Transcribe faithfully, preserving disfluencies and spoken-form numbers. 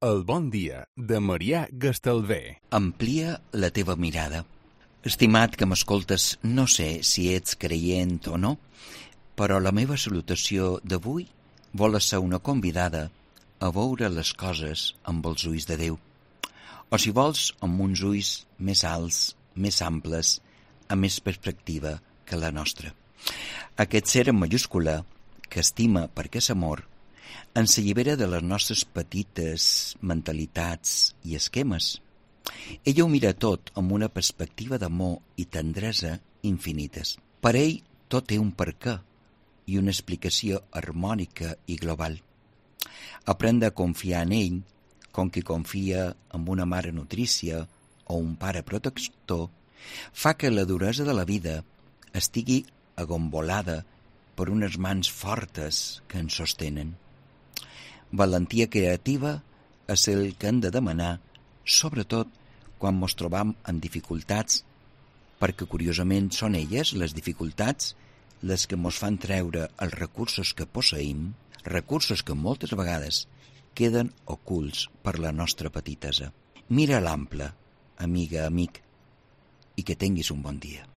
El bon dia de Marià Gastalver. Amplia la teva mirada. Estimat que m'escoltes, no sé si ets creient o no, però la meva salutació d'avui vol ser una convidada a veure les coses amb els ulls de Déu. O si vols, amb uns ulls més alts, més amples, amb més perspectiva que la nostra. Aquest ser en majúscula, que estima perquè és amor, ens allibera de les nostres petites mentalitats i esquemes. Ella ho mira tot amb una perspectiva d'amor i tendresa infinites. Per ell tot té un perquè i una explicació harmònica i global. Aprendre a confiar en ell, com qui confia en una mare nutrícia o un pare protector, fa que la duresa de la vida estigui agombolada per unes mans fortes que ens sostenen. Valentia creativa és el que hem de demanar, sobretot quan ens trobam en dificultats, perquè curiosament són elles, les dificultats, les que ens fan treure els recursos que posseïm, recursos que moltes vegades queden ocults per la nostra petitesa. Mira l'ample, amiga, amic, i que tinguis un bon dia.